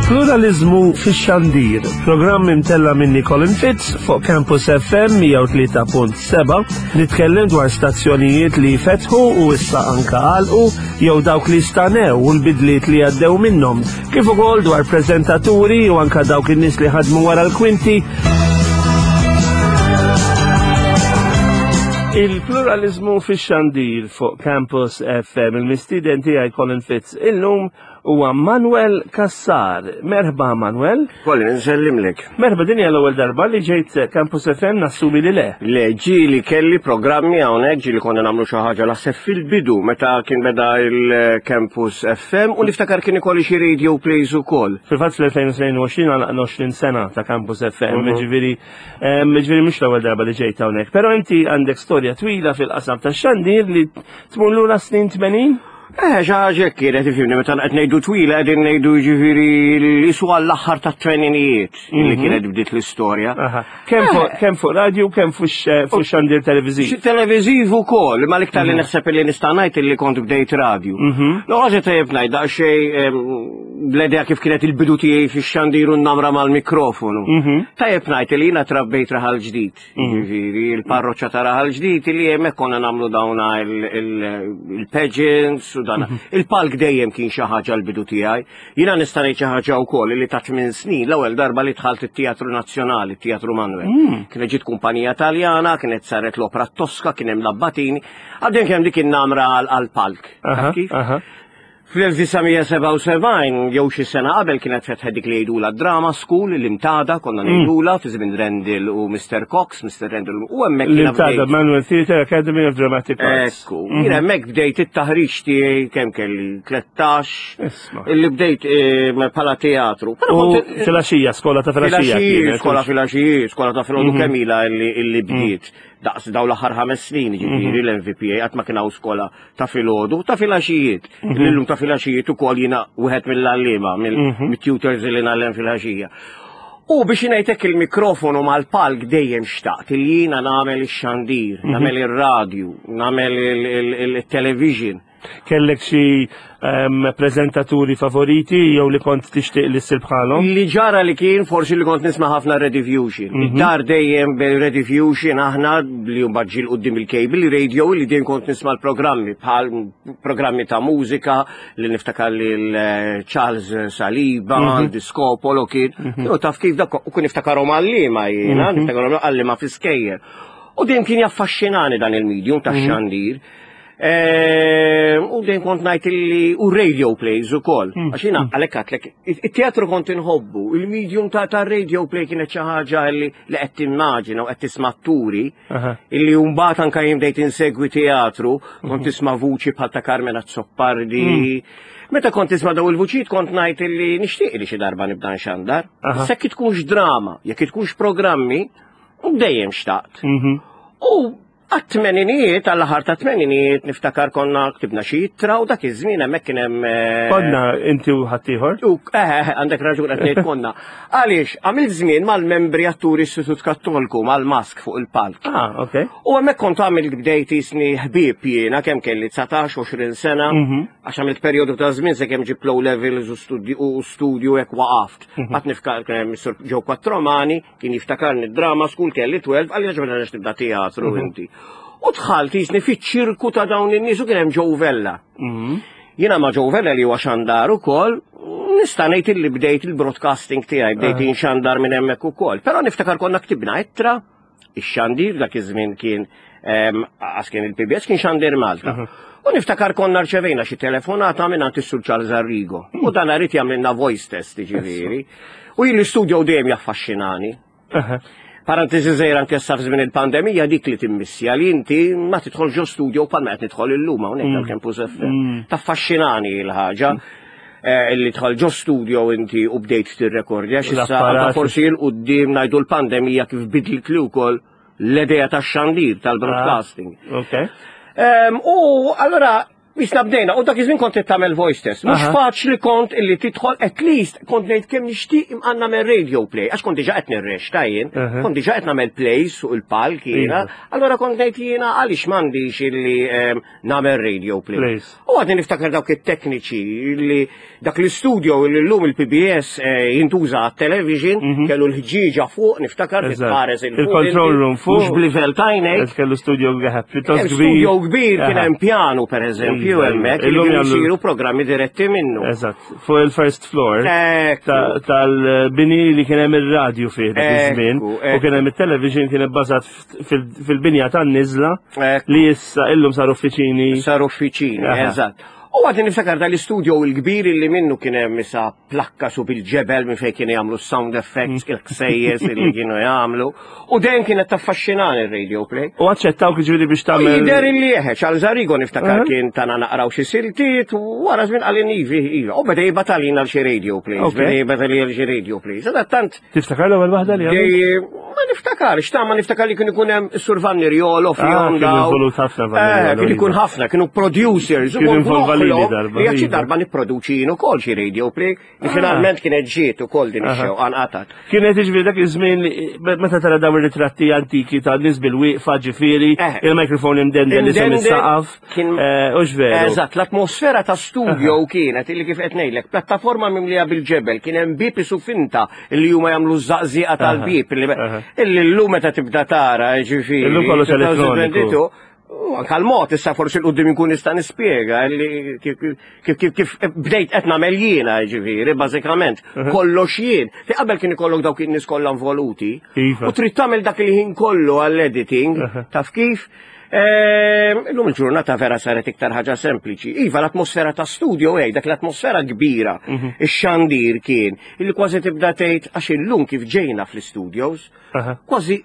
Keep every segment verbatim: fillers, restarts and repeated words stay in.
Il-pluralizmu fix-xandir, programm imtella minni Colin Fitz fuq Campus F M mija u tlieta punt seba', nitkellem dwar stazzjonijiet li fetħu u issa anka għalqu jew dawk li stanew u l-bidliet li għaddew minnhom, kif ukoll dwar preżentaturi u anka dawk in-nies li ħadmu wara l-kwinti. Il-pluralizmu fix-xandir fuq Campus F M, il-mistieden tiegħi Colin Fitz illum huwa Manuel Cassar. Merħba, Manuel. Colin, nsellimlek. Merħba, din hija l-ewwel darba li ġejt Campus F M, nassumi li le. Le, ġieli kelli programmi hawnhekk, ġieli konna nagħmlu xi ħaġa naħseb fil-bidu meta kien beda il-Campus F M u niftakar kien ikolli xi radio plays ukoll. Fil-fatt fl-elfejn u tnejn u għoxrin għalaqna għoxrin sena ta' Campus F M, Mhm. ġifieri em, ġifieri mhux l-ewwel darba li ġejt hawnhekk. Però inti għandek storja twila fil-qasam tax-xandir li tmur lura snin tmenin? Eh, xi ħaġa kienet, ifhimni, meta qed ngħidu twila qegħdin ngħidu ġifieri li su għall-aħħar tat-tmeninijiet li kienet bdiet l-istorja. Aha. Kemm fuq kemm fuq radio, kemm fuq fuq xandir televiżiv. Xi televiżiv ukoll, ma l-iktar li naħseb li nista' ngħid li kont bdejt radio. No, ħaġa tajjeb ngħid daqsxejn l-idea kif kienet il-bidu tiegħi fix-xandir u n-namra mal-mikrofonu. Tajjeb ngħid li jiena trabbejt Raħal Ġdid, jiġifieri il-parroċċa ta' Raħal Ġdid li hemmhekk konna nagħmlu dawna il-pageants u dana. Il-palk dejjem kien xi ħaġa l-bidu tiegħi. Jiena nista' ngħid xi ħaġa wkoll li ta' tmien snin l-ewwel darba li dħalt it-Teatru Nazzjonali, it-Teatru Manuel. Kienet ġiet kumpanija Taljana, kienet saret l-opera Tosca, kien hemm l-Abbatini. Għaddejn kemm dik in-namra għal-palk. Aha, Kif? aha. Fl-elf disa' mija sebgħa u sebgħin jew xi sena qabel kienet fetħet dik li jgħidula Drama School, l-Imtada konna ngħidula fi żmien Rendil u Mister Cox, Mister Rendil u hemmhekk jiena L-Imtada bdejt. Manuel Theatre Academy of Dramatic Arts. Ekku, jiena hemmhekk bdejt it-taħriġ tiegħi kemm kelli tlettax, Isma'. illi bdejt eh, bħala teatru. Però U kont- filgħaxija, skola ta' filgħaxija. Filgħaxija, kienet. skola filgħaxija, skola ta' filgħodu kemm ilha illi illi bdiet. Daqs daw l-aħħar ħames snin, ġifieri l-M V P A qatt ma kien hawn skola ta' filgħodu, ta' filgħaxijiet. Illum ta' filgħaxijiet ukoll jiena wieħed mill-għalliema, mill-tutors li ngħallem filgħaxija. U biex ngħidlek il-mikrofonu mal-palk dejjem xtaqt li jiena nagħmel ix-xandir, nagħmel ir-radju, nagħmel il-television. Kellek xi em, preżentaturi favoriti jew li kont tixtieq li ssir bħalhom? Li ġara li kien forsi li kont nisma' ħafna Rediffusion. Id-dar dejjem Rediffusion aħna li mbagħad ġie quddiem il-cable radio li dejjem kont nisma' l-programmi bħal programmi ta' mużika li niftakar lil eh, Charles Saliba, Discopolo kien. U taf kif dak u kun niftakarhom għalliema jiena, niftakarhom għalliema fi skejjel. U dejjem kien jaffaxxinani dan il-medium tax-xandir. Eh, U dejjem kont ngħid illi u radio plays ukoll. Għax jiena għalhekk għedtlek, it-teatru kont inħobbu, il-medium ta' ta' radio play kienet xi ħaġa li li qed timmaġina u qed tisma' atturi Aha. illi mbagħad anke jien bdejt insegwi teatru, kont tisma' vuċi bħal ta' Carmen Azzopardi. Meta kont tisma' daw il-vuċijiet kont ngħid illi nixtieq li xi darba nibda nxandar. Aha. Jekk tkunx drama, jekk tkunx programmi, u dejjem xtaqt. Mhm. U għat-tmeninijiet, għall-aħħar ta' tmeninijiet, niftakar konna ktibna xi ittra u dak iż-żmien hemmhekk kien hemm eh, Konna inti u ħaddieħor? U eh, eh, għandek raġun qed ngħid konna. Għaliex għamilt żmien mal-membri atturi Istitut Kattolku mal-mask fuq il-palk. Ah, ok. U hemmhekk kont għamilt bdejt jisni ħbieb jiena kemm kelli dsatax, għoxrin sena, għax għamilt perjodu ta' żmien se kemm ġib low levels u studju u studju hekk waqaft. Qatt niftakar kien hemm Mr. Joe Quattromani, kien jiftakarni drama school kelli tnax, għalli ġabna tibda teatru inti. U dħalt jisni fiċ-ċirku ta' dawn in-nies u kien hemm Joe Vella. Jiena ma' Joe Vella li huwa xandar ukoll, nista' ngħid illi bdejt il-broadcasting tiegħi, bdejt inxandar minn hemmhekk ukoll. Però niftakar konna ktibna ittra, ix-xandir dak iż-żmien kien em, għas kien il-P B S kien Xandir Malta. U niftakar konna rċevejna xi telefonata minn għand is-Sur Charles Arrigo. U dan irid jagħmilna voice test, ġifieri. U jien l-istudio dejjem jaffaxxinani. Aha. Parentesi żgħira, anke issa f'żmien il-pandemija dik li timmissja li inti ma tidħol ġo studio bħal ma qed nidħol illum hawnhekk tal-Campus F M. Taffaxxinani l-ħaġa eh, illi dħal ġo studio inti u bdejt tirrekordja għax issa L-apparat. anke forsi 'l quddiem ngħidu l-pandemija kif bidlit li wkoll l-idea tax-xandir tal-broadcasting. Ok. Em, U allora Misna bdejna, u dak iż-żmien kont tagħmel voice test. Mhux Aha. faċli kont illi tidħol, at least kont ngħid kemm nixtieq imqanna nagħmel radio play, għax kont diġà qed nirreċta jien, Aha. kont diġà qed nagħmel plays fuq il-palk jiena, Iva. allora kont ngħid jiena għaliex m'għandix illi em, nagħmel radio play. Plays. U għadni niftakar dawk it-tekniċi li dak l-istudio li llum il-P B S eh, jintuża għat-television, kellu l-ħġieġa fuq, niftakar Eżatt. titħares il Il-control room fuq. Mhux b'livell t'għajnejk. Kellu studio pjuttost Hemm kbir. studio kbir, kien Aha. hemm piano per eżempju Iva, iva. hemmhekk li Illum kienu jagħmlu- jsiru programmi diretti minnu. Eżatt, fuq il-first floor Ekku. ta- tal-bini li kien hemm ir-radju fih dak iż-żmien Ekku, u ekku. kien hemm it-television kien ibbażat fil- fil-binja tan-niżla Ekku. li issa illum saru uffiċini. Saru uffiċini, Aha. eżatt. U għadni niftakar dal-istudio il-kbir illi minnu kien hemm issa plakka su bil-ġebel minn fejn kienu jagħmlu sound effects, il-ħsejjes illi kienu jagħmlu. U dejjem kienet taffaxxinani il-radio play. U aċċettaw ġifieri biex U tagħmel. Jider illi eħe, Charles Arrigo niftakar Aha. kien tana naqraw xi siltiet, u wara żmien qalli ivi, iva. U beda jibgħathielna għal xi radio plays, Ok. beda jibgħathielna għal xi radio plays. Sadattant, Tiftakar l-ewwel waħda li għamilt? Dej, ma niftakar, xta ma niftakar li kien ikun hemm Sur Vanni Riolo Ah, fihom kien daw. involut ħafna Vanni Eh, Riolo, kien ikun iva. ħafna, kienu producers. u Kien kont involva lili noħlom darba, li jekk xi iva. darba nipproduċi jien ukoll xi radio play, li finalment kienet ġiet ukoll din Aha. ix-xewqa nqatat. Kienet ġifieri dak iż-żmien li- meta tara dawn ir-ritratti antiki ta' nies bil-wieqfa ġifieri, Eh. il-mikrofon imdendel li Imdendel, is-saqaf. kien- Eh, U veru. Eżatt, l-atmosfera ta' studio kienet illi kif qed ngħidlek, plattaforma mimlija bil-ġebel, kien hemm bib isu finta illi huma jagħmlu żaqżieqa tal-bib illi Aha. illi llum meta tibda tara, ġifieri. Illum kollox elettroniku. duemilatwentidue, u anka l-mod issa forsi 'l quddiem inkun nista' nispjega illi kif kif kif kif bdejt qed nagħmel jiena, ġifieri, bażikament kollox jien. Fi qabel kien ikollok dawk in-nies kollha involuti. Iva. U trid tagħmel dak il-ħin kollu għall-editing, taf kif? Ehm, Illum il-ġurnata vera saret iktar ħaġa sempliċi. Iva, l-atmosfera ta' studio, ej, dak l-atmosfera kbira. Ix-xandir kien, illi kważi tibda tgħid għax illum kif ġejna fl-studios, Aha. kważi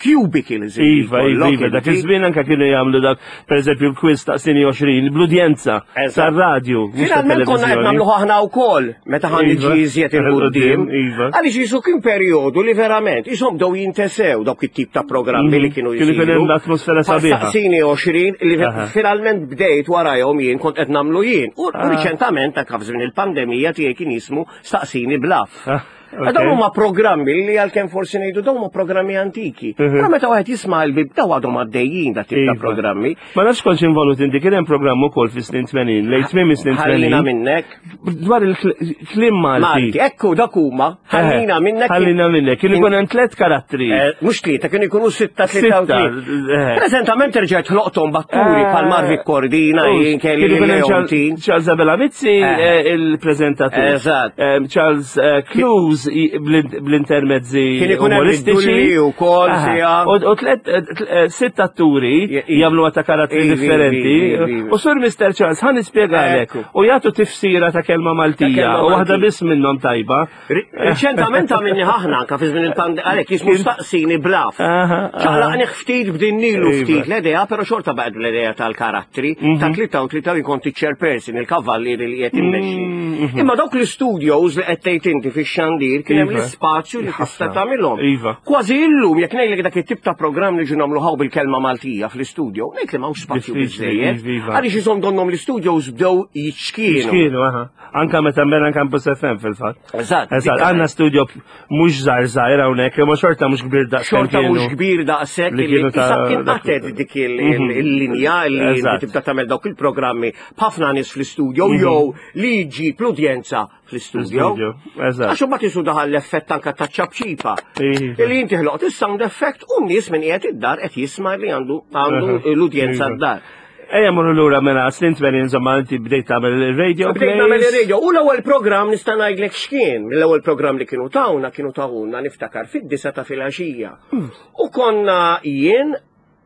cubicles illi Iva, iva, jkollok iva, dak inti. iż-żmien anka kienu jagħmlu dak, pereżempju l-quiz ta' sini għoxrin, bl-udjenza Eżatt. tar-radju, mhux Finalment konna qed tat-televiżjoni. nagħmlu aħna wkoll meta ħan Iva. niġi iżjed il-quddiem. Iva. Għaliex jisu kien perjodu li verament isom bdew jintesew dawk it-tip ta' programmi li kienu Kienu jisiru. jkun hemm l-atmosfera sabiħa. Saqsini għoxrin li Aha. finalment bdejt warajhom jien kont qed nagħmlu jien. U u Ah. riċentament anke f'żmien il-pandemija tiegħi kien jismu Staqsini Blaf. Ah, ok. Dawn huma programmi li għalkemm forsi ngħidu dawn huma programmi antiki. Mhm. Però meta wieħed jisma' l-bib daw għadhom għaddejjin da tip ta' Iva. programmi. Ma nafx kontx involut inti, kien hemm programm ukoll fis-snin tmenin, lejn tmiem is-snin Ħallina tmenin. minnek. Dwar il-kliem Malti. Malti, ekku dak huma, ħallina minnek. Ħallina minnek. Kien ikun hemm tliet karattri. Eh, Mhux tlieta, kienu jkunu sitta, tlieta u Sitta, tlieta. eh. Preżentament rġajt ħloqthom b'atturi Eh, bħal Marvic Cordina, jien kelli Kien ikun hemm Leontin. Charles Charles Abela Mizzi, Eh. eh, il-preżentatur. Eżatt. Eh, Charles eh, Clues i- bl- bl-intermezzi Kien ikun hemm umoristiċi. id-dulli wkoll Aha. sija. U u tlet eh, tl- eh, sitt atturi Je- i- jagħmlu ta' karattri Ivi, differenti. ivi, ivi, ivi. U Sur Mister Charles ħa nispjegalek. Ekku. U jagħtu tifsira ta' kelma Maltija. kelma U waħda Maltija. biss minnhom tajba. Riċentament għamilni ħahna anka fi żmien il-pandemija, għalhekk jismu Staqsini Blaf. Aha, aha. Ċaqlaqni ftit b'dinnilu Iva. ftit l-idea, però xorta baqgħet l-idea tal-karattri, ta' tlieta u tlieta u jkun chairperson, il-kavallieri li qed immexxi. Imma dawk l-studios li qed tgħid inti fix-xandir kien hemm Iva. l-ispazju li tista' Ħafna. tagħmilhom. Iva. Kważi illum jekk ngħidlek dak it-tip ta' programm li ġu nagħmlu bil-kelma Maltija fl-istudio, ngħid li m'hawnx spazju Diffiċli, biżejjed. iva, iva. Għaliex isom donhom l-studios bdew jiċkienu. Kienu, aha. Anka meta mela Campus F M fil-fatt. Eżatt. Eżatt, għandna studio mhux żgħar żgħir hawnhekk, imma xorta mhux kbir daqs Xorta mhux kbir daqshekk Li li kienu ta' issa kien dak- qatet dik il- il- il-linja li inti Eżatt. tibda tagħmel dawk il-programmi b'ħafna nies fl-istudio jew li jġib l-udjenza fl-istudio. Fl-istudio, eżatt. Għax imbagħad isu daħal l-effett anka ta' ċapċipa. Iva. Li inti ħloqt is-sound effect u n-nies minn qiegħed id-dar qed jisma' li għandu għandu Aha. l-udjenza Iva. d-dar. Ejja morru lura mela snin tmenin, insomma inti bdejt tagħmel il-radio Bdejt nagħmel plays. ir-radio u l-ewwel programm nista' ngħidlek x'kien. L-ewwel programm li kienu tawna kienu tawna niftakar fid-disa ta' filgħaxija. U konna jien,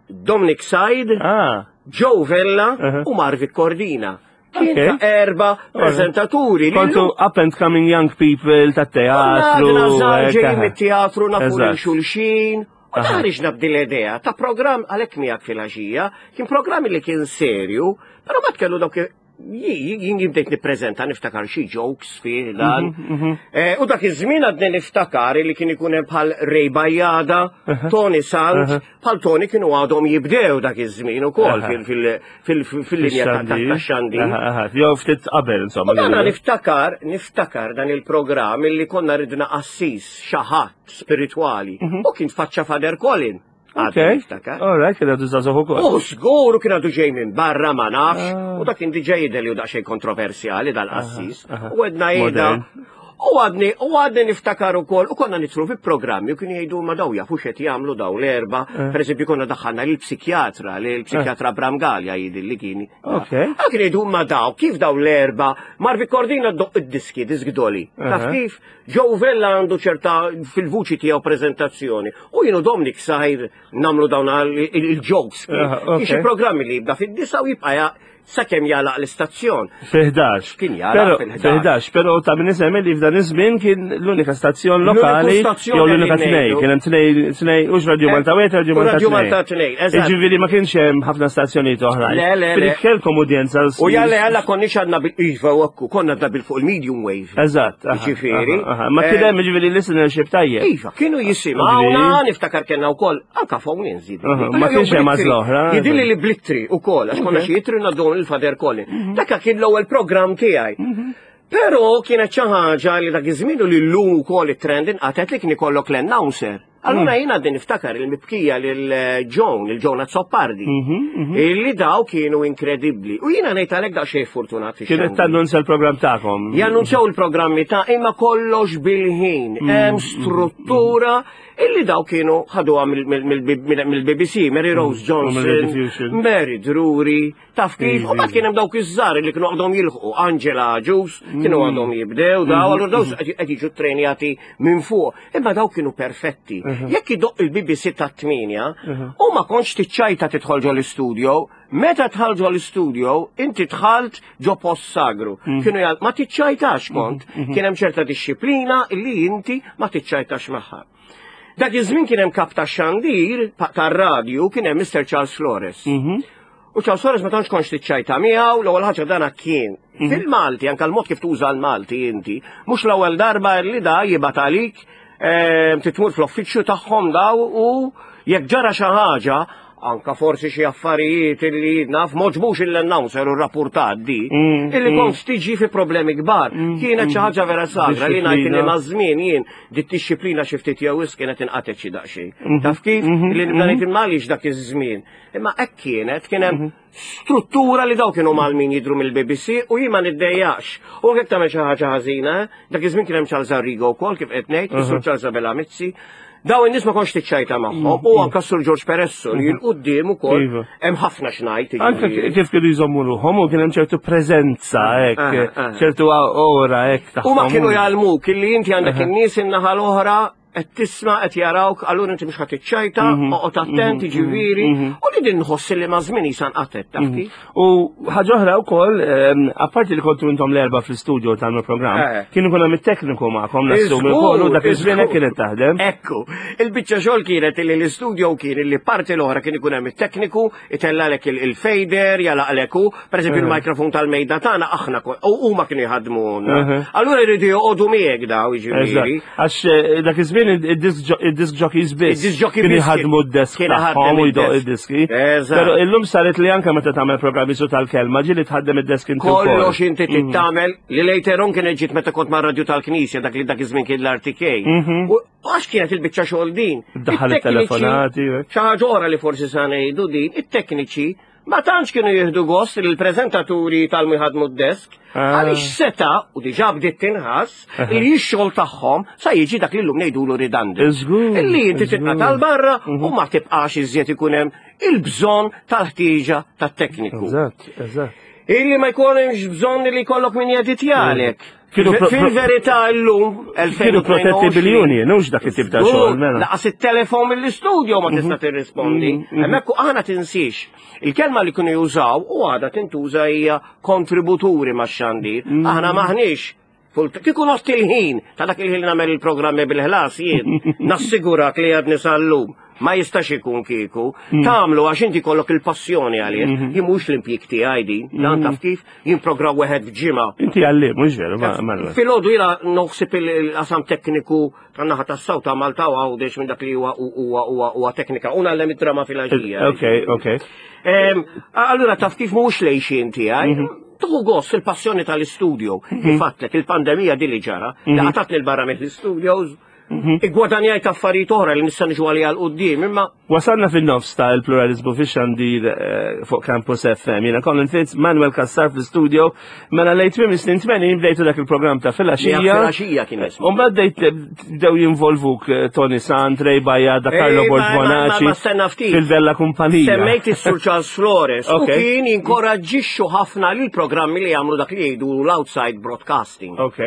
Dominic Said, Ah, Joe Vella Aha. u Marvic Cordina. Kien Ok. ta' erba preżentaturi. li Kontu llum up and coming young people ta' teatru. Għadna żgħar hekk, ġej aha. mit-teatru nafu lil Eżatt. xulxin. U Aha. ħariġna b'din l-idea ta' programm għalhekk miegħek filgħaxija, kien programm li kien serju, però ma kellu dawk Jien bdejt nippreżenta, niftakar xi jokes fih dan. Eh, U dak iż-żmien għadni niftakar li kien ikun hemm bħal Ray Bajada, Tony Sant, bħal Tony kienu għadhom jibdew dak iż-żmien ukoll fil-linja ta' xandir. Jew ftit qabel, insomma. U dana niftakar, niftakar dan il-programm illi konna ridna qassis, xi ħadd spiritwali, u kien tfaċċa Father Colin. Ok, all right, kien għadu żagħżugħ ukoll. U żgur, u kien għadu ġej minn barra, ma nafx, u dak kien diġà jidher li hu daqsxejn kontroversjali dal-qassis. U għedna jida. U għadni, u għadni niftakar ukoll, u konna nidħlu fi programmi u kienu jgħidu, "Ma daw jafu x'qed jagħmlu daw l-erba'." Per eżempju, konna daħħalna l-psikjatra, l-psikjatra Bram Gallia jidhirli li kien. Ok. Ah, kien jgħidu, "Ma daw, kif daw l-erba'?" Marvi Cordina ddoqq id-diski, disk doli. Taf kif? Joe Vella għandu ċerta fil-vuċi tiegħu prezentazzjoni. U jienu Dominic Sajr nagħmlu dawn il-jokes. Xi programmi li jibda fid-disgħa u jibqa' sakemm jagħlaq l-istazzjon. Fi ħdax. Kien jagħlaq fil-ħdax. Però ta' min isemmi li f'dan iż-żmien kien l-unika stazzjon lokali jew l-unika tnej, kien hemm tnej tnej hux Radio Malta wieħed, Radio Malta Radio Malta tnej, eżatt. Jiġifieri ma kienx hemm ħafna stazzjonijiet oħrajn. Le, le, le. Kellkom udjenza. U jalla jalla konniex għandna bil-iva u konna għandna bil fuq il-medium wave. Eżatt. Jiġifieri. Ma kien hemm jiġifieri listenership tajjeb. Iva, kienu jisimgħuna, niftakar kellna wkoll anka phone inżid. Ma kienx hemm għażla oħra. Jidhirli li bl-ittri ukoll, għax konna xi ittri ngħaddu il-Father Colin. Dakka kien l-ewwel programm tiegħi. Però kienet xi ħaġa li dak iż-żmien u li llum ukoll it-trend inqatet li kien ikollok l-announcer. Allura jiena għadni niftakar il-mibkija lil Joan, il-Joan Azzopardi, illi daw kienu inkredibbli. U jiena ngħid għalhekk daqsxejn fortunat. Kienet tannunzja l-programm tagħkom. Jannunzjaw il-programmi ta' imma kollox bil-ħin. Hemm struttura illi daw kienu ħaduha mill-B B C, Mary Rose Johnson, Mary Drury, taf kif, u mbagħad kien hemm dawk iż-żgħar li kienu għadhom jilħqu, Angela Agius, kienu għadhom jibdew daw, allura daw qed jiġu trenjati minn fuq, imma daw kienu perfetti. Jekk idoqq il-B B C ta' tmienja, u ma kontx tiċċajta tidħol ġo l-istudio, meta dħalt ġo l-istudio, inti dħalt ġo post sagru. Kienu jgħal, ma tiċċajtax kont, kien hemm ċerta disċiplina illi inti ma tiċċajtax magħha. Dak iż-żmien kien hemm kap ta' xandir tar-radju, kien hemm Mister Charles Flores. U Charles Flores ma tantx kontx tiċċajta miegħu, l-ewwel ħaġa dana kien fil-Malti, anke l-mod kif tuża l-Malti inti, mhux l-ewwel darba li da jibgħat għalik eh, titmur fl-uffiċċju tagħhom daw u jekk ġara xi ħaġa, anka forsi xi affarijiet illi naf m'għoġbux il-announcer u rapportat di, Mm, illi kont tiġi fi problemi kbar. Kienet xi ħaġa vera sagra li ngħid li Disciplina. ma' żmien jien dit disċiplina xi ftit jew wisq kienet inqatet xi daqsxejn. Taf kif? Li nibda ngħid imma dak iż-żmien. Imma hekk kienet, kien hemm struttura li daw kienu malmin jidru mill-B B C u jien ma niddejjax. U jekk tagħmel xi ħaġa ħażina, dak iż-żmien kien hemm Charles Arrigo wkoll, kif qed ngħid, is-Sur Charles Abela Mizzi. Daw in-nies ma kontx tiċċajta magħhom u anke Sur George Peresso li l-qudiem ukoll Iva. hemm ħafna x'ngħid. Anke Jiġifieri. kif kienu jżommu ruħhom u kien hemm ċertu preżenza hekk, Ah, ah. ċertu ora hekk U ma tagħhom. kienu jgħallmuk illi inti għandek in-nies in-naħa l-oħra qed tisma', qed jarawk, allura inti mhux ħadd tiċċajta, oqgħod attent, jiġifieri, u li din nħoss li ma' żmien jisa nqatet, taf kif? U ħaġa oħra wkoll, ehm, apparti li kontu intom l-erba' fl-istudio tal-programm, Eh. kienu kuna mit-tekniku magħkom nassumi wkoll u dak iż-żmien hekk kienet taħdem. Ekku, il-biċċa xogħol kienet li l-istudio kien li parti l-oħra kien ikun hemm it-tekniku, itellgħalek il- il-fader, jagħlaqlek hu, pereżempju il-mikrofon tal-mejda tagħna aħna ko- u huma kienu jħadmu. Mhm. Allura jridu joqogħdu miegħek daw, jiġifieri. Eżatt. Għax eh, dak iż-żmien id-disc jockeys biss Id-disc jockey kienu biss jħadmu d-desk kien tagħhom iħaddem u jdoq id-desk. id-diski. Eżatt. Però illum saret li anke meta tagħmel programmi su tal-kelma ġieli tħaddem id-desk inti wkoll. Kollox inti tittamel li later on kienet ġiet meta kont ma' radio tal-Knisja, dak li dak iż-żmien kien l-R T K. U għax kienet il-biċċa xogħol din. Daħal It-tekniċi- it-telefonati, hekk. Xi ħaġa oħra li forsi sa ngħidu din, it-tekniċi ma tantx kienu jieħdu gost li l-preżentaturi tal jħadmu d-desk, Ah. għaliex seta, u diġà bdiet tinħass, li x-xogħol tagħhom sa jiġi dak li llum ngħidulu redundant. Iżgur, Illi inti iżgur. titqa' tal-barra u ma tibqax iżjed ikun hemm il-bżonn tal-ħtieġa tat-tekniku. Eżatt, eżatt. Illi ma jkunx bżonn li jkollok min jeditjalek. Kienu pro- pro- Fil-verità llum, Kienu protetti bil-union, mhux dak it-tip ta' xogħol, mela. Lanqas it-telefon mill-istudio ma tista' tirrispondi. Hemmhekk aħna tinsiex. Il-kelma li kienu jużaw u għadha tintuża hija kontributuri max-xandir. Aħna maħniex full. Kieku nost il-ħin, ta' dak il-ħin li nagħmel il-programmi bil-ħlas jien, nassigurak li għadni sal-lum. Ma jistax ikun kieku. Tagħmlu għax inti kollok il-passjoni għalih. Jien mhux l-impjieg tiegħi din. Dan taf kif jien programm wieħed f'ġimgħa. Inti għallim, mhux veru, ma- Manuel. Filgħodu jiena noħsib il-qasam tekniku tan-naħa tas-South ta' Malta u Għawdex minn dak li huwa huwa huwa huwa teknika. U ngħallem id-drama filgħaxija. Ok, ok. Em, Allura taf kif mhux lejxin tiegħi. Tuħu gost il-passjoni tal-istudio. Kif għedtlek il-pandemija din li ġara, li qatgħatni 'l barra mill-studios, Igwadanjajt affarijiet oħra li nista' niġu għalija 'l quddiem, imma Wasalna fin-nofs ta' il-pluralizmu fi xandir eh, fuq Campus F M. Jiena Colin Fitz, Manuel Cassar fl-studio. Mela lejn tmiem is-snin tmenin bdejtu dak il-programm ta' filgħaxija. Filgħaxija kien ismu. U mbagħad bdejt bdew jinvolvuk eh, Tony Sant, Ray Bajada, Carlo Ej, ma- Borg ma- ma- Bonaci ma stenna ftit. fil-Bella Kumpanija. Semmejt is-Sur Charles Flores u Ok. kien jinkoraġġixxu ħafna lil programmi li jagħmlu dak li jgħidu l-outside broadcasting. Ok.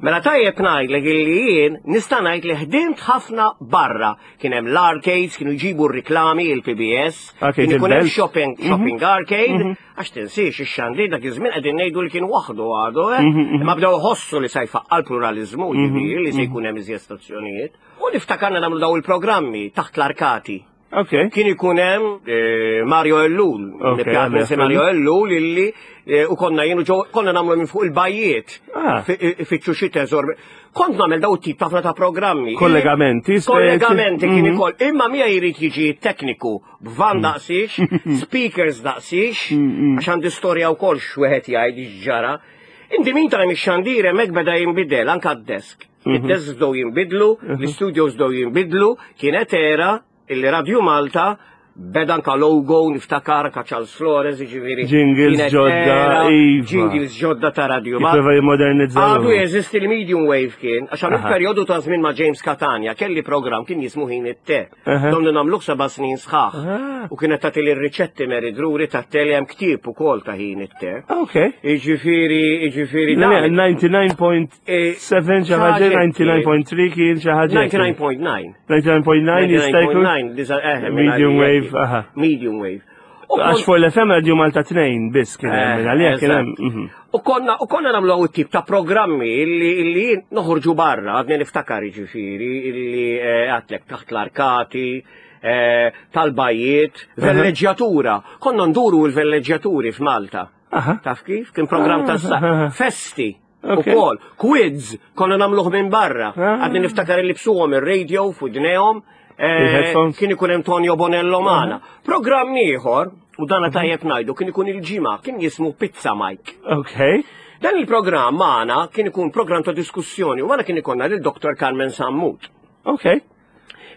Mela tajjeb ngħidlek illi jien nista' ngħid li ħdimt ħafna barra. Kien hemm l-arcades, kienu jġibu r-riklami il-P B S, Arcade kien ikun hemm il-Belt. shopping, shopping arcade, għax tinsiex ix-xandir dak iż-żmien qegħdin ngħidu li kien waħdu għadu, eh? Imma bdew iħossu li se jfaqqa l-pluralizmu, jiġifieri li se jkun hemm iżjed stazzjonijiet. U niftakarna nagħmlu daw il-programmi taħt l-arkati. Ok. Kien ikun hemm eh, Mario Ellul, Ok, nibqa' għalli, nsi Mario Ellul illi eh, u konna jienu ġo konna nagħmlu minn fuq il-bajjiet. Ah. Fi- Fittxu xi teżor. Kont nagħmel daw tip ħafna ta' programmi. Kollegamenti, speċi. Kollegamenti kien Mhm. ikoll. Imma mija jrid jiġi tekniku b'van daqsix, speakers daqsix, għax għandi storja wkoll x'wieħed jgħid x'ġara. In the meantime ix-xandir hemmhekk beda jinbidel anke d-desk. Id-desk bdew jinbidlu, l-studios bdew jinbidlu, kienet era illi Radio Malta beda anka logo, niftakar anka Charles Flores, jiġifieri. Jingles kienet ġodda, era, iva. Jingles ġodda ta' Radio Malta. Jipprova jimmodernizzaw. Għadu jeżisti l-medium wave kien, għax għamilt Aha. periodu ta' żmien ma' James Catania, kelli program kien jismu Ħin it-Te. Aha. Domna nagħmluh seba' snin sħaħ. Ah. U kienet tagħti li r-riċetti Mary Drury ta' tele hemm ktieb ukoll ta' Ħin it-Te. Ok. Iġifieri, iġifieri. Le, dan- disgħa u disgħin punt sebgħa xi ħaġa, disgħa u disgħin punt tlieta kien xi ħaġa. disgħa u disgħa punt disgħa. disgħa u disgħa punt disgħa jista' jkun? disgħa u disgħa punt disgħa, eh, Medium minn wave, għalija aha. Medium wave. U Għax kont- fuq l-F M Radio Malta tnejn biss kien hemm, minn għalija kien hemm. Eżatt. mhm. U konna, u konna nagħmlu għaw tip ta' programmi illi, illi noħorġu barra, għadni niftakar ġifieri, illi eh, għedtlek taħt l-arkati, eh, tal-bajjiet, velleġġjatura. Konna nduru l-velleġġjaturi f'Malta. Aha. Taf kif? Kien program ta' sa- Ah. festi. Ok. U kol, quiz, konna nagħmluh minn barra. Ah. Għadni niftakar li bsuhom il-radio f'widnejhom. eh, Il-headphones. Kien ikun hemm Tonio Bonello magħna. Programm ieħor, u dana tajjeb ngħidu, kien ikun il-ġimgħa, kien jismu Pizza Mike. Ok. Dan il-programm magħna kien ikun programm ta' diskussjoni u magħna kien ikollna lil Dottor Carmen Sammut. Ok.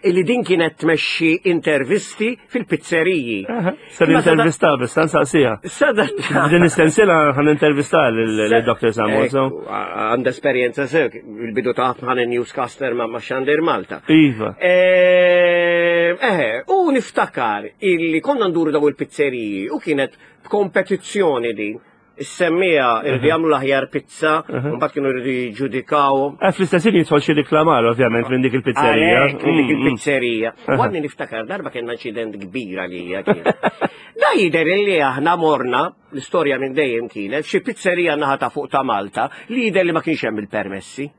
Illi din kienet tmexxi intervisti fil-pizzeriji. Aha. Ser Imma sada- intervista biss, nsaqsiha. Sada Din istensila ħan intervista lil Dottor Sammut. so. Ekku, għandha esperjenza sew, il-bidu ta' ħan newscaster ma' ma' Xandir Malta. Iva. Eh, eh, u niftakar illi konna nduru daw il-pizzeriji u kienet kompetizzjoni din. Is-semmija irridu jagħmlu l-aħjar pizza, u mbagħad kienu jridu jiġġudikaw. Eh, Fl-istess ħin jidħol xi riklamar ovvjament minn dik il-pizzerija. Għalhekk, minn dik Mm, mm. il-pizzerija. U għadni niftakar darba kellna inċident kbir għalija kien. Da jider illi aħna morna, l-istorja minn dejjem kienet, xi pizzerija naħa ta' fuq ta' Malta, li jider li ma kienx hemm il-permessi.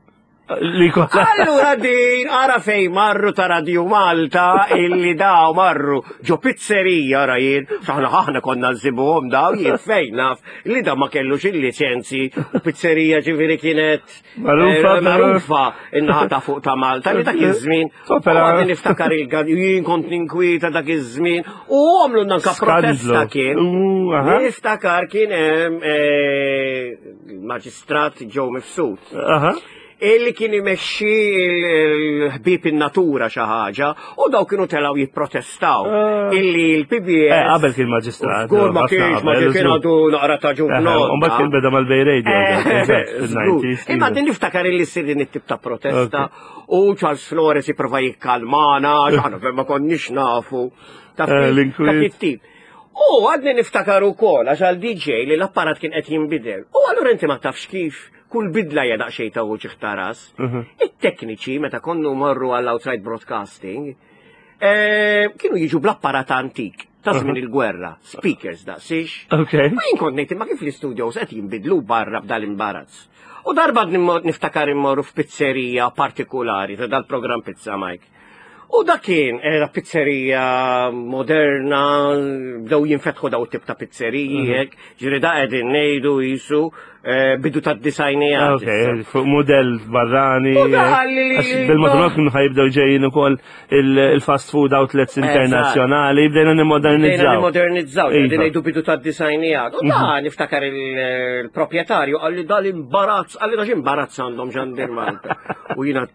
Li kollha. Allura din, ara fej marru ta' Radio Malta, illi daw marru ġo pizzerija ra jien, xaħna ħahna konna nsibuhom daw, jien fejn naf, li da ma kellux il-licenzi, u pizzerija ġifieri kienet Magħrufa, eh, però- magħrufa in-naħa ta' fuq ta' Malta, li dak iż-żmien. Opera. U għadni niftakar il-gad, jien kont ninkwieta dak iż-żmien, u għamlu nanka protesta Skandlu. kien. U, aha. Niftakar kien hemm eh, maġistrat Joe Mifsud Aha. illi kien imexxi il-ħbib in-natura xi ħaġa u daw kienu telgħu jipprotestaw Ah. illi l-P B S Eh, qabel kien maġistrat. Żgur ma ħafna kienx, ma qabel, kien żgur. għadu naqra ta' ġurnot. U mbagħad kien beda mal-Bay Radio. Eżatt, fil-nineties. Imma din niftakar illi ssir din it-tip ta' protesta u Charles Flores jipprova jikkalmana, x'aħna ma konniex nafu. Taf Eh, kif? l-inkwiet. Dak it-tip. U għadni niftakar ukoll għax għal D J li l-apparat kien qed jinbidel. U allura inti ma tafx kif kull bidla hija daqsxejn ta' uġigħ ta' ras. Mhm. It-tekniċi meta konnu morru għall outside broadcasting eh, kienu jiġu bl-apparat antik ta' żmien il-gwerra, speakers daqsix. Ok. Ma jien kont ngħid imma kif l-studios qed jinbidlu barra b'dal-imbarazz. U darba nimmo- niftakar immorru f'pizzerija partikolari ta' dal-programm Pizza Mike. U da kien era pizzerija moderna, bdew jinfetħu daw tip ta' pizzeriji, hekk, ġifieri da qegħdin ngħidu jisu eh, bidu tad-disajnijat. Ok, fuq model barrani. U da qalli li- Għax Bil-mod kienu ħa jibdew ġejjin ukoll il- il-fast food outlets internazzjonali, bdejna Bdejna nimmodernizzaw. nimmodernizzaw, Iva. qegħdin ngħidu bidu tad-disajnijat. U da niftakar il- il-proprjetarju qalli dal-imbarazz, qalli da x'imbarazz għandhom Xandir Malta. U jiena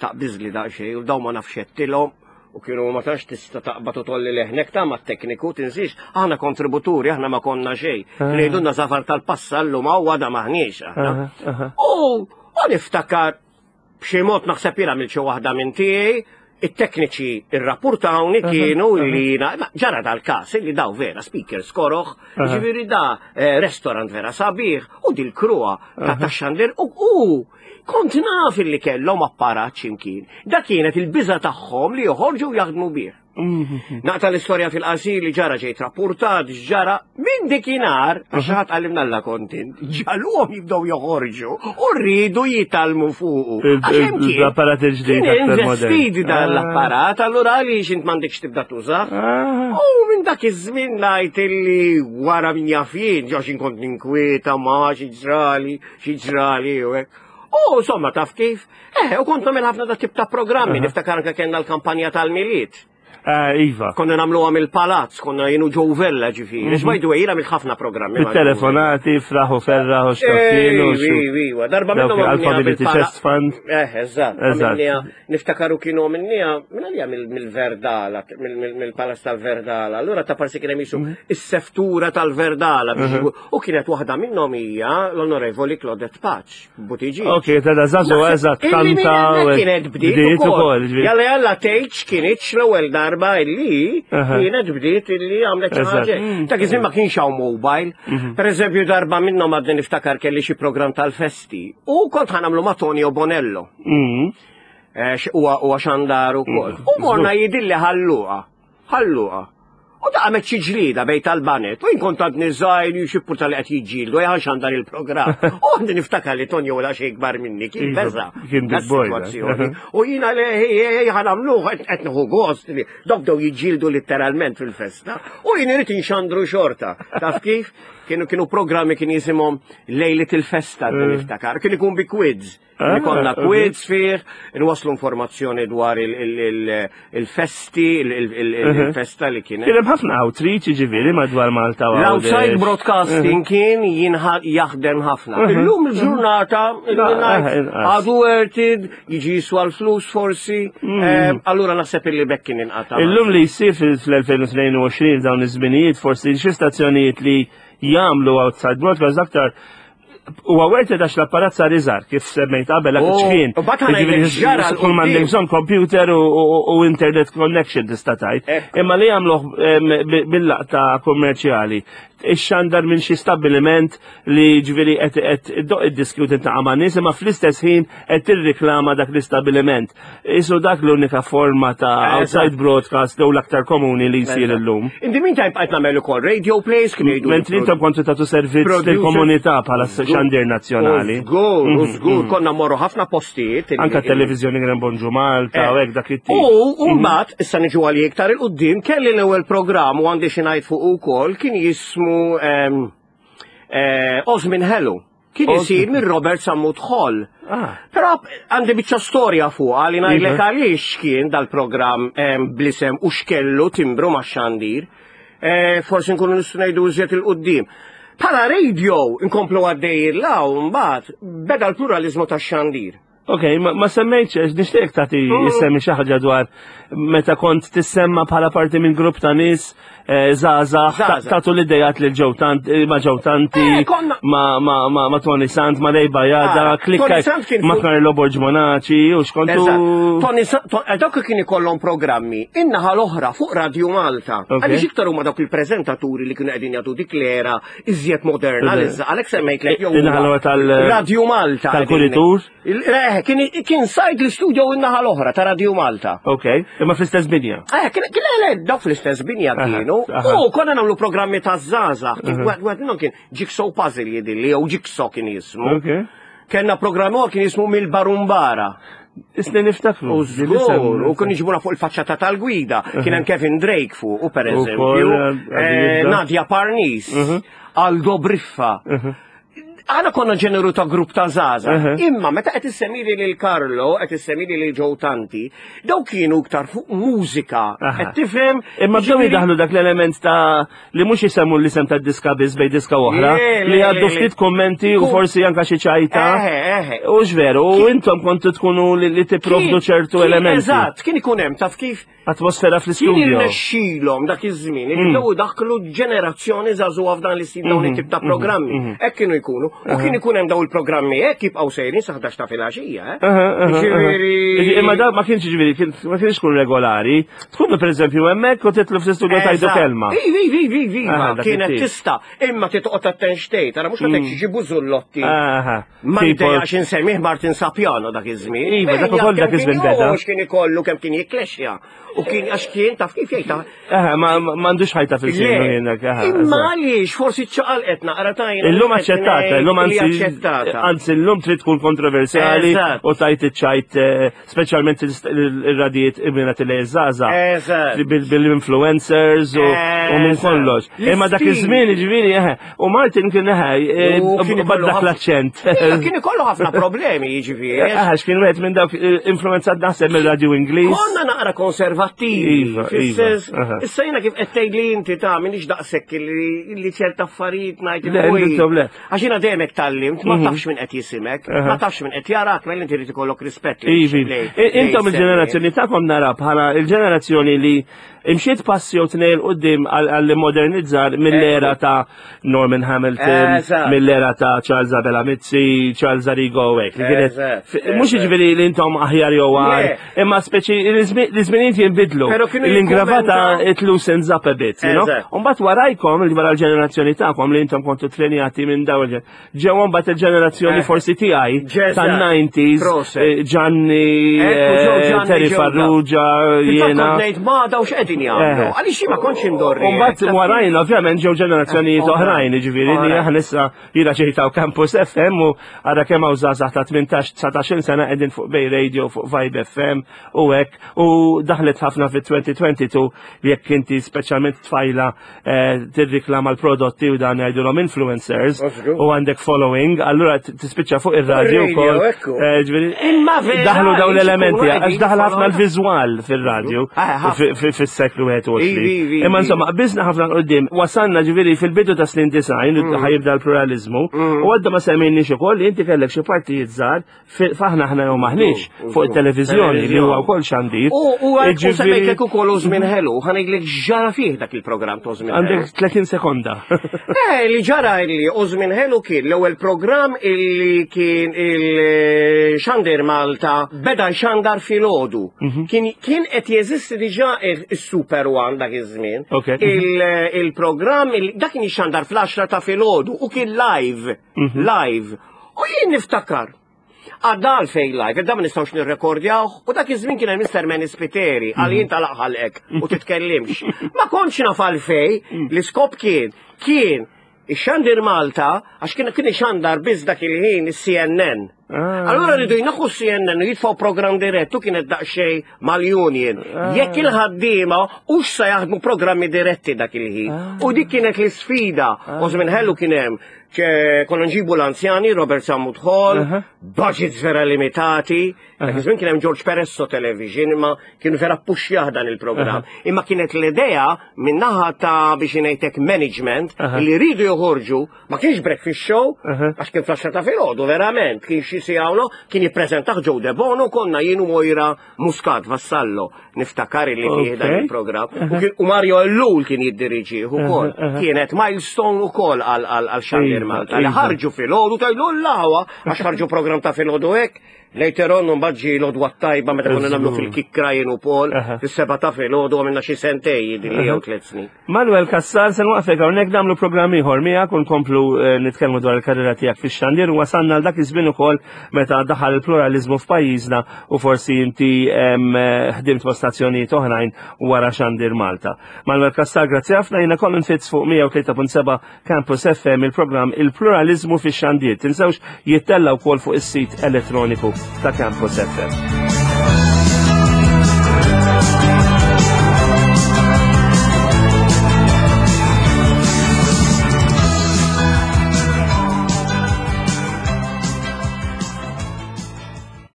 taqbiżli daqsxejn u daw ma nafx x'għedtilhom u kienu ma tax tista' taqbad u tolli leħnek ta' ma tekniku tinsiex aħna kontributuri aħna ma konna xejn. Ngħidulna safar tal-passallu ma huwa da maħniex aħna. Aha, aha. U u niftakar b'xi mod naħseb jiena għamilt xi waħda minn tiegħi, it-tekniċi irrapportawni kienu li jiena- ma ġara dal-każ illi daw vera speakers koroħ, ġifieri da eh, restaurant vera sabiħ u dil-kruha ta' tax-xandir u u kont naf illi kellhom apparat x'imkien. Da kienet il-biża tagħhom li joħorġu u jaħdmu bih. Naqta l-istorja fil-qasir li ġara ġejt rapportat, ġara minn dikinhar, għax ħadd għallimna la kontent, ġaluhom jibdew joħorġu u rridu jitgħallmu fuqu. Il- Għax hemm kien- L-apparat il-ġdid Kien aktar modern. investit dan l-apparat, allura għaliex int m'għandekx tibda tuża. Ah. U minn dak iż-żmien ngħid illi wara min jaf jien, ġo xi kont ninkwieta ma xi ġrali, xi ġrali u hekk. U insomma taf kif? Eh, u kont nagħmel ħafna da tip ta' programmi, niftakar anke kellna l-kampanja tal-Milied. Ah, Iva. Konna nagħmluha mill-palazz, konna jienu Joe Vella ġifieri. Mm By the way, jiena għamilt ħafna programmi. ma' Joe Vella. Bit-telefonati, fraħu ferraħ u xtokkienu. Ej, Iva, darba Dawk minnhom għamilniha Alphabet bil-pala- Chest Fund. Eh, eżatt. Eżatt. Għamilniha- Niftakaru kienu għamilniha, minn għalija mill-Verdala, mill-Palazz tal-Verdala. Allura ta' parsi kien hemm jisu Mhm. is-seftura tal-Verdala. biex U kienet waħda minnhom hija l-Onorevoli Claudette Pace, Buttigieg. Ok, ta' da zazu eżatt, Illi minn kanta. hemmhekk u- kienet bdiet Bdiet ukoll. ukoll. ġifieri. Jalla jalla tgħidx kienitx l-ewwel darba illi Aha. kienet bdiet illi għamlet xi Eżatt. ħaġa. Ta' iż ma kienx hawn mobile. Per eżempju darba minnhom għadni niftakar kelli xi programm tal-festi. U kont ħa nagħmlu ma' Tonio Bonello. Mm. Eh, x- Huwa huwa xandar ukoll. U morna jidilli Ħal Luqa. Ħal Luqa. U da għamet xi ġlida bejn tal-banet. U jien kont għadni żgħir xi tal qed jiġġieldu jgħan xandar il-programm. U għandi niftakar li Tonio wala xejn ikbar minni kien Iva, beża. kien big boy, da. sitwazzjoni. U jiena le ħa nagħmluh qed nieħu gost li dok bdew jiġġieldu letteralment fil-festa. U jien irid inxandru xorta. Taf kif? Kienu kienu programmi kien jisimhom Lejlet il-Festa niftakar. Kien ikun bi quiz. Ah, Ikollna ok. quiz fih, nwaslu informazzjoni dwar il- il- il- il-festi, il- il- il- il-festa li kienet. Kien hemm ħafna outreach ġifieri madwar Malta u L-outside Għawdex. broadcasting kien jinħa- jaħdem ħafna. Illum il-ġurnata, No, eh, inqas. għadu worth it, jiġi jiswa l-flus forsi, eh, allura naħseb illi bekk kien inqata. Illum li jsir fil-elfejn u tnejn u għoxrin dawn iż-żminijiet forsi xi stazzjonijiet li jagħmlu outside broadcast aktar huwa worth it għax l-apparat sar iżgħar kif semmejt qabel dak Oh, iċ-ċkien. u bat ħa ngħidlek ġara 'l Kull m'għandek quddiem. bżonn computer u- u u internet connection tista' tgħid. Ekku. Imma li jagħmluh em, bi- bil-laqta kummerċjali. Ix-xandar minn xi stabbiliment li ġifieri qed qed iddoq id-diski u tintaqa' ma' nies imma fl-istess ħin qed tirriklama dak l-istabbiliment. Isu dak l-unika forma ta' outside broadcast jew l-aktar komuni li jsir illum. In the meantime, bqajt nagħmel ukoll radio plays kien jgħidu. Mentri intom kontu tagħtu servizz Producer. lill-komunità bħala xandir nazzjonali. Żgur, żgur, konna morru ħafna postijiet. illi- Anka televizjoni kien hemm Bonġu Malta u hekk dak it-tip. U mbagħad issa niġu għal iktar 'il quddiem kelli l-ewwel programm u għandi xi ngħid fuq ukoll kien jismu ehm, eh, Osmin Hello. Kien Osmin. isir minn Robert Sammut Hall. Ah. Però għandi biċċa storja fuq li ngħidlek Iva. għaliex kien dal-programm ehm, bl-isem u x'kellu timbru ma' xandir. Eh, Forsi nkunu nistgħu ngħidu iżjed 'il quddiem. Bħala radio nkomplu għaddej law mbagħad beda l-pluralizmu tax-xandir. Ok, ma, ma semmejtx, għax nixtieq tagħti jissemmi xi ħaġa dwar meta kont tissemma bħala parti minn grupp ta' nies eh, żgħażagħ Żgħażagħ. tagħtu l-idejat lil Joe Tant, eh, ma' Joe Tanti, Eh, konna- ma, ma, ma, ma Tony Sant, ma Ray Bajada, Ah, klikka Tony Sant kien ma fuq- Carlo Borg Monaci, u x'kontu. Eżatt. Tony Sa- to- eh, Dawk kien ikollhom programmi in-naħa l-oħra fuq Radio Malta. Ok. Għaliex iktar huma dawk il-preżentaturi li kienu qegħdin jagħtu dik l-era iżjed moderna Eżatt. l-izza. Għalhekk semmejtlek jew In-naħa l-oħra tal- Radio Malta. tal-kuritur? Il- Eh, kien kien sajd l-studio in-naħa l-oħra ta' Radio Malta. Ok, imma fl-istess binja. Eh, kien kien le, dawk fl-istess binja Aha, kienu. aha. U konna nagħmlu programmi ta' żgħażagħ. Kien wieħed minnhom kien Jigsaw Puzzle jidilli jew Jigsaw kien jismu. Ok. Kenna programm ieħor kien jismu Mill-Barumbara. Isni niftakru. U żgur, u kien iġibuna fuq il-faċċata tal-gwida. Kien hemm Kevin Drake fuq, u per eżempju, eh, Nadia Parnis, Aldo Briffa. Aħna konna ġeneru ta' grupp ta' żgħażagħ. Imma meta qed issemmili lil Carlo, qed issemmili lil Joe Tanti, daw kienu iktar fuq mużika. Qed tifhem? Imma bdew jidaħlu dak l-element ta' li mhux jisemmu l-isem ta' diska biss bej diska oħra, li għaddu ftit kommenti u forsi anka xi ċajta. U veru, u intom kontu tkunu li tipprovdu ċertu elementi. Eżatt, kien ikun hemm taf kif atmosfera fl-istudio. Kien irnexxilhom dak iż-żmien, bdew daħlu ġenerazzjoni żagħżugħa f'dan l-istil dawn it-tip ta' programmi. Hekk kienu jkunu. U kien ikun hemm dawn il-programmi hekk jibqgħu sejrin sa ħdax ta' filgħaxija, eh? Ġifieri. Imma da ma kienx ġifieri, ma kienx tkun regolari. Tkunu pereżempju hemmhekk u titlu fl-istudio tajdu kelma. Ivi, ivi, ivi, ivi, kienet tista' imma titqgħod attent xtejt, ara mhux qed ġibu zullotti. Ma jdejjax insemmih Martin Sapiano dak iż-żmien. Iva, dak ukoll dak iż-żmien beda. Kien ikollu kemm kien jikklexxja. U kien għax kien taf kif jgħid. Eħe, ma m'għandux ħajta fil-sinu jiena. Imma għaliex forsi ċaqalqet naqra tajna. Illum aċċettata, illum anzi anzi illum trid tkun kontroversjali u tajt iċ-ċajt speċjalment ir-radijiet imminat li żgħażagħ bil-influencers u minn kollox. Imma dak iż-żmien jiġifieri eħe, u Martin kien eħe bad dak l-aċċent. Kien ikollu ħafna problemi jiġifieri. Eħe, x'kien wieħed minn dawk influenzat naħseb mir-radju Ingliż. Konna naqra konservattivi. Fis-sens, issa jiena kif qed tgħidli inti ta' minix daqshekk li ċerta affarijiet ngħid. Għax jiena dejjem hekk tgħallimt, ma tafx min qed jisimek, ma tafx min qed jarak, mela inti rid ikollok rispett. Intom il-ġenerazzjoni tagħkom nara bħala il-ġenerazzjoni li imxiet passi jew tnejn 'il quddiem għall-modernizzar mill-era ta' Norman Hamilton, mill-era ta' Charles Abela Mizzi, Charles Arrigo u hekk. Mhux jiġifieri li intom aħjar jew agħar, imma speċi l-iżminijiet jinbidlu. L-ingravata it loosens up a bit, you know? Mbagħad warajkom, li wara l-ġenerazzjoni tagħkom li intom kontu trenjati minn dawn ġew mbagħad il-ġenerazzjoni forsi tiegħi tan-nineties, Gianni, Terry Farrugia, jiena. Ma dawx qegħdin jagħmlu. Għaliex ma kontx indorri. U mbagħad warajna ovvjament ġew ġenerazzjonijiet oħrajn, jiġifieri li aħna issa jiena ġejtaw Campus F M u ara kemm hawn żgħażagħ ta' tmintax dsatax-il sena qegħdin fuq Bay Radio, fuq Vibe F M u hekk, u daħlet ħafna fit twenty twenty-two jekk inti speċjalment tfajla tirriklama l-prodotti u dan jgħidulhom influencers u għandek following, allura tispiċċa fuq ir-radju wkoll. Daħlu dawn l-elementi għax daħal ħafna l-viżwal fir-radju fis-seklu wieħed u għoxrin. Imma insomma, qbiżna ħafna 'l quddiem, wasalna ġifieri fil-bidu ta' snin design ħajibda l-pluralizmu u għadda ma semmejniex ukoll li inti kellek xi partijiet żgħar faħna aħna jew maħniex fuq it-televiżjoni li huwa wkoll xandir. U semmejtlek ukoll Żmien Ħelu, ħa ngħidlek x'ġara fih dak il-programm ta' Żmien Ħelu. Għandek tletin sekonda. Eh, li ġara li Żmien Ħelu kien l-ewwel programm illi kien il-Xandir Malta beda jxandar filgħodu. Kien qed jeżisti diġà is-Super One dak iż-żmien. Il-programm dak kien jxandar fl-għaxra ta' filgħodu u kien live, live. U jien niftakar. Għadda għalfejn live, għadda ma nistgħux nirrekordjaw, u dak iż-żmien kien hemm Mister Manny Spiteri, għal jien talaq ħalqek u titkellimx. Ma kontx naf għalfejn, l-iskop kien, kien ix-Xandir Malta, għax kien kien ixandar biss dak il-ħin is-C N N. Allura rridu jnaħħu C N N u jitfgħu programm dirett u kienet daqsxejn mal-union. Jekk il-ħaddiema hux se jaħdmu programmi diretti dak il-ħin. U dik kienet l-isfida. U Żmien Ħelu kien hemm konna nġibu l-anzjani, Robert Sammut Hall, budgets vera limitati. Dak iż-żmien kien hemm George Peresso Television, imma kienu vera ppuxjah dan il-programm. Imma kienet l-idea min-naħa ta' biex ngħidlek management li rridu joħorġu, ma kienx breakfast show, għax kien fl-għaxra ta' filgħodu verament, kien xi siegħa kien jippreżentah Joe De Bono, konna jien u Moira Muscat Vassallo, niftakar li fih dan il-programm. U Mario Ellul kien jiddiriġih ukoll. Kienet milestone ukoll għal Xandir Malta. Li ħarġu filgħodu tajlu l-laħwa għax ħarġu programm ta' filgħodu hekk. Later on mbagħad ġie l-għodwa t-tajba meta konna nagħmlu fil-kikkra jien u Paul, fis-seba' ta' filgħodu għamilna xi sentej jidhirli jew tliet snin. Manuel Cassar, se nwaqfek hawnhekk nagħmlu programm ieħor miegħek u nkomplu nitkellmu dwar il-karriera tiegħek fix-xandir u wasalna għal dak iż-żmien ukoll meta daħal il-pluralizmu f'pajjiżna u forsi inti ħdimt ma' stazzjonijiet oħrajn wara Xandir Malta. Manuel Cassar, grazzi ħafna, jiena Colin Fitz fuq mija u tlieta punt seba' Campus F M, il-programm Il-Pluralizmu fix-Xandir. Tinsewx jittella' wkoll fuq is-sit elettroniku ta' Campus F M.